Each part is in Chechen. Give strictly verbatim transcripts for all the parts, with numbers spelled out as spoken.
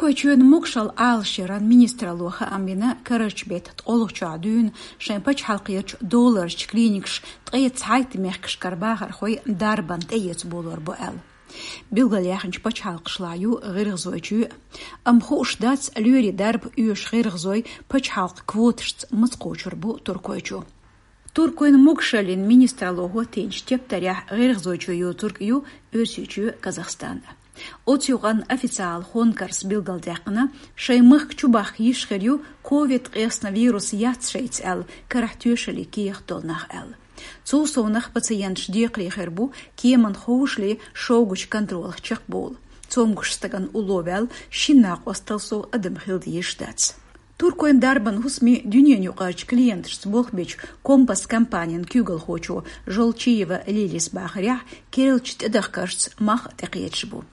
Туркойчоьнан могашалла Ӏалашъяран министралло хаам бина карарча бетта ткъолгӀачохь дуьйна шайн пачхьалкхерчу долларчу клиникаш ткъе цхьайтта мехкашкара бахархой дарбанна тӀеэца болор бу аьлла. Билгалъяьхначу пачхьалкхашлахь ю гӀиргӀазойчоь а. Амма хууш дац, лоьрийн дарба оьшу гӀиргӀазой пачхьалкхан квоташца маца кхочур бу Туркойчу. Туркойн могашаллин министралло хӀоттийначу тептарехь гӀиргӀазойчоь йоцург ю Оьрсийчоь, Казахстан. Оцу юкъанна официалан хонкарс билгалдаьккхина, шайн махка чубахка йиш хир ю ковид-ткъаесна вирус яц шайца аьлла, карахь тоьшаллин кехат долу нах аьлла. Цул совнах пациенташ декхаре хир бу кеманна ховшале шогачу контролах чекхбовла. Цомгуш стагана улло ваьлла шина накъосталла сов адам хила дезаш дац. Туркойн дарбан хӀусаме дуьненаюкъарчу клиенташца болх бечу Компас компанин куьйгалхочо Жолчиева Лилис бахарехь, керлачу тӀедахкаршца мах тӀекхеташ бу.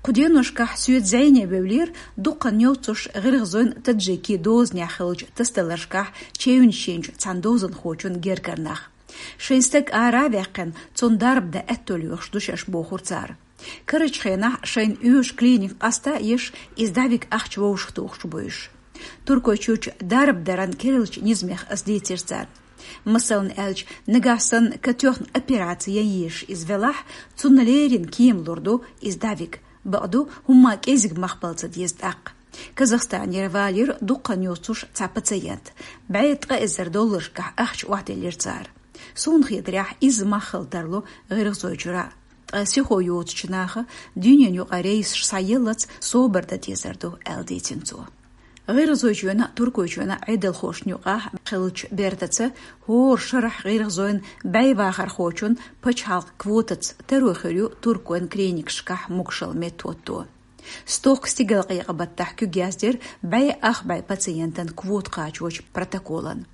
Кху деношкахь соьца зӀене вевлира дуккха а йоццуш гӀиргӀазойн, таджикийн дозанехь хиллачу тасадаларшкахь чевнаш йинчу цхьана дозанхочун гергара нах. Шайн стаг ара а ваьккхина, цунна дарба дан аьтто лоьхуш ду шаьш, бохура цара. Карарчу хенахь шайна оьшу клиника къаста а еш, иза дӀавига ахча вовшахтухуш бу уьш. Туркойчоьчу дарба даран керлачу низамех аса дийцира царна. Масална аьлча, нагахь санна катоьхна операци ян езаш иза велахь, цунна леррина кема лур ду иза дӀавига. Бакъду, хӀумма кӀезиг мах бала ца деза тӀаккха. Казахстанера валийра дуккха а йоццуш цхьа пациент. БӀе ткъа эзар долларшкахь ахча охьаделлира цара. Суна хетарехь, изза мах хила тарло ГӀиргӀазойчуьра. Ткъа сихо йоцучу наха дуьненаюкъара рейсаш схьаеллалц собар дан дезар ду, аьлла дийцина цо. ГӀиргӀазойчоьнан а, Туркойчоьнан а Ӏедалхошна юкъахь хиллачу бертаца хӀора шарахь гӀиргӀазойн бӀе вахархочун пачхьалкхан квотаца таро хир ю Туркойн клиникашкахь могашалла меттахӀотто. Стохка стигалкъекъа-баттахь куьг яздира бӀе ах бӀе пациентан квота кхачочу протоколан.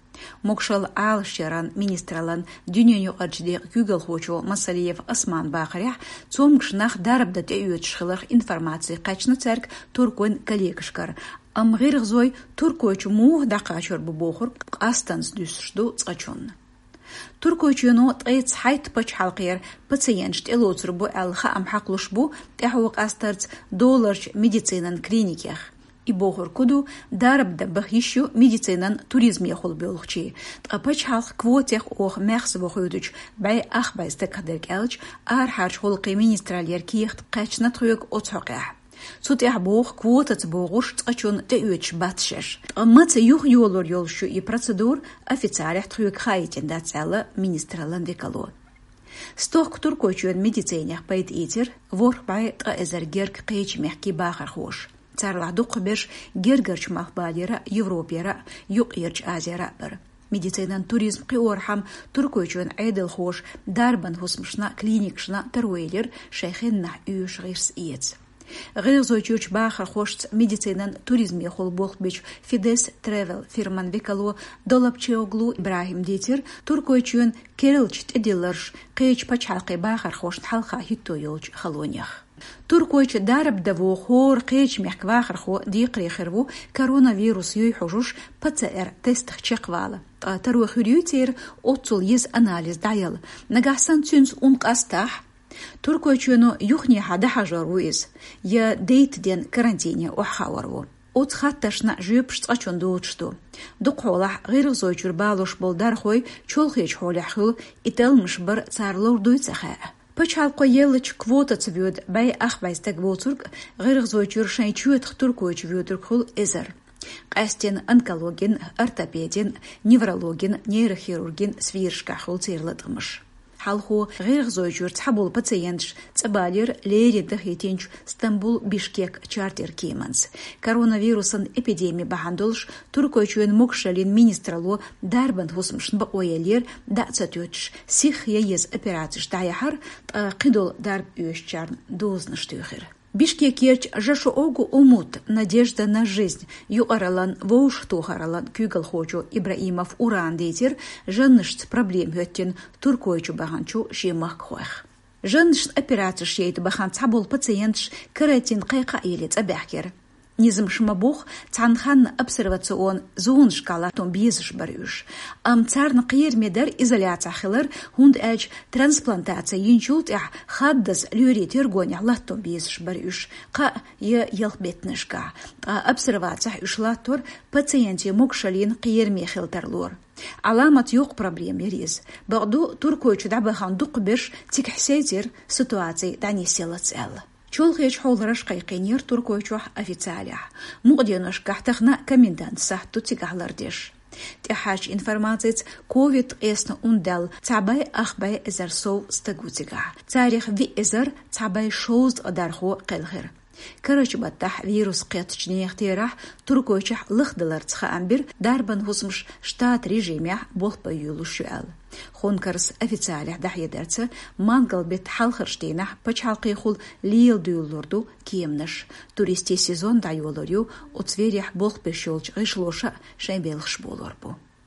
Могашалла Ӏалашъяран министраллан дуьненаюкъарчу декъан куьйгалхочо Масалиев Осман бахарехь, цомгуш нах дарба дан тӀеоьцуш хиларх информаци кхаьчна цаьрга Туркойн коллегашкара, амма гӀиргӀазой Туркойчу муха дӀакхачор бу бохург къастонца дуьсуш ду цкъачунна. Туркойчоьно ткъе цхьайтта пачхьалкхера пациенташ тӀелоцур бу аьлла хаам хьакхалуш бу тӀаьхьо къастарца долларчу медицинан клиникех. И бохург хӀун ду, дарба дан баха йиш ю медицинан туризмехула боьлхучийн, ткъа пачхьалкхан квотех оха маьхза вахойтучу бӀе ах бӀе стагах дерг аьлча, арахьарчу гӀуллакхийн министраллера кехат кхаьчна тхоьга оцу хьокъехь. Цу тӀехь боху, квотаца богӀурш цкъачунна тӀеоьцуш бац шаьш. Ткъа маца юхайолор йолуш ю и процедура, официалехь тхоьга хаийтина дац, аьлла министраллан векало. Стохка Туркойчоьнан медицинех пайда ийцира ворхӀ бӀе ткъа эзар герга кхечу мехкийн бахархоша. Царлахь дукхахберш гергарчу малхбалера а, Европера а, Юккъерчу Азера а бара. Медицинан туризм кхиорхьама Туркойчоьнан Ӏедалхоша дарбан хӀусамашна, клиникашна таро елира шайн хеннахь оьшу гӀирс эца. ГӀиргӀазойчуьрчу бахархошца медицинан туризмехула болх бечу Фидес Тревел фирман векало Долапчиоглу ИбрахӀима дийцира Туркойчоьнан керла тӀедилларш кхечу пачхьалкхийн бахархошна хьалха хӀитто йолчу халонех. Туркойчу дарба дан вогӀу хӀора кхечу мехкан вахархо декхаре хир ву коронавирус юй хьожуш ПЦР-тестах чекхвала. Ткъа таро хир юй церан оццул еза анализ дӀаяла. Нагахь санна цуьнца ун къастахь, Туркойчоьно юханехьа дӀахьажор ву иза, я дейтта ден карантине охьахаор ву. Оцу хаттаршна жоьпаш цкъачунна доцуш ду. Дукхахьолахь ГӀиргӀазойчуьра балош болу дархой чолхечу хьолехь хуьлу, и талламаш бар цара лур дуй ца хаьа. Пачхьалкхо еллачу квотаца воьду бӀе ах бӀе стаг воцург ГӀиргӀазойчуьра шайн чоьтах Туркойчу воьдург хуьлу эзар. Къаьсттина онкологин, ортопедин, неврологин, нейрохирургин сферашкахь хуьлу церан латкъамаш. Хьалхо ГӀиргӀазойчуьра цхьаболу пациенташ цӀа балийра леррина дахийтинчу Стамбул-Бишкек чартер кеманца. Коронавирусан эпидеми бахьана долуш Туркойчоьнан могашаллин министралло дарбан хӀусамашна бакъо еллера дӀа а ца тоьттуш, сихха ян еза операцеш дӀаяхьар, ткъа кхидолу дарба оьшучарна дозанаш туьйхира. Бишкекерчу Жашоогу Умут, Надежда на жизнь юкъараллан вовшахтохараллан куьйгалхочо Ибраимов Урана дийцира жаннашца проблема хӀоьттина Туркойчу баханчу шен махкахойх. Жаннашна операцеш яйта бахана цхьаболу пациенташ карантин кхайкха а елла цӀа баьхкира. Низамаша ма-бохху, цхьана ханна обсервационни зонашкахь латтон безаш бара уьш. Амма царна кхераме дара изоляцехь хилар, хӀунда аьлча трансплантаци йинчул тӀаьхьа хаддаза лоьрийн тергонехь латтон безаш бара уьш, кхаа я ялх беттанашкахь. Ткъа обсервацехь уьш латтор пациентийн могашаллина кхераме хила тарлора. Ӏаламат йоккха проблема яра иза. Бакъду, Туркойчу дӀабахана дукхахберш цигахь сецира, ситуаци дӀанисъялац аьлла. Чолхечу хьолараша кхайкхийнера Туркойчохь официалехь. Мукъа деношкахь тахана комендант сахьт ду цигахь лардеш. ТӀаьхьарчу информацица, ковид ткъесна ун даьлла цхьа бӀе ах бӀе эзар сов стаг ву цигахь. Царах виъ эзар цхьа бӀе шовзткъа дархо кхелхира. Карарчу баттахь вирус кхеттачу нехан терахь Туркойчохь лахдаларца хаам бира дарбан хӀусамаш штатан режимехь болх бан йолуш ю аьлла. Хонкарс официалехь дӀахьедарца, мангал-беттан хьалхарчу дийнахь пачхьалкхехула лела дуьйлалур ду кеманаш. Туристийн сезон дӀайолор ю, оцу вирехь болх беш йолчу гӀишлоша а шайн белхаш болор бу.